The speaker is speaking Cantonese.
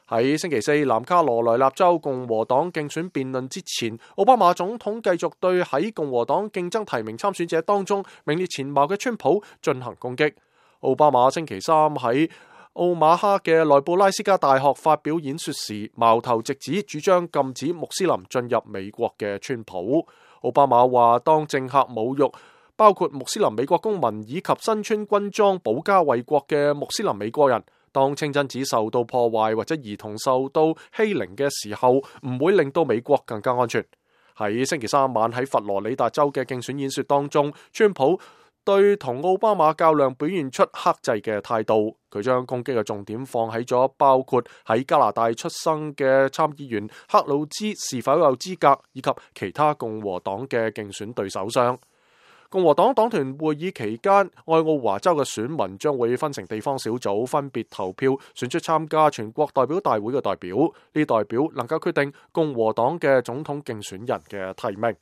喺星期四南卡羅來納州共和黨競選辯論之前，奧巴馬總統繼續對喺共和黨競爭提名參選者當中名列前茅嘅川普進行攻擊。奧巴馬星期三喺奧馬哈嘅內布拉斯加大學發表演說時，矛頭直指主張禁止穆斯林進入美國嘅川普。奧巴馬話，當政客侮辱包括穆斯林美國公民以及身穿軍裝保家衛國嘅穆斯林美國人，當清真寺受到破壞或者兒童受到欺凌嘅時候，唔會令到美國更加安全。喺星期三晚喺佛羅里達州嘅競選演說當中，川普對同奧巴馬較量表現出克制嘅態度，佢將攻擊嘅重點放喺咗包括喺加拿大出生嘅參議員克魯茲是否有資格，以及其他共和黨嘅競選對手上。共和黨黨團會議期間，愛奧華州嘅選民將會分成地方小組，分別投票選出參加全國代表大會嘅代表，呢代表能夠決定共和黨嘅總統競選人嘅提名。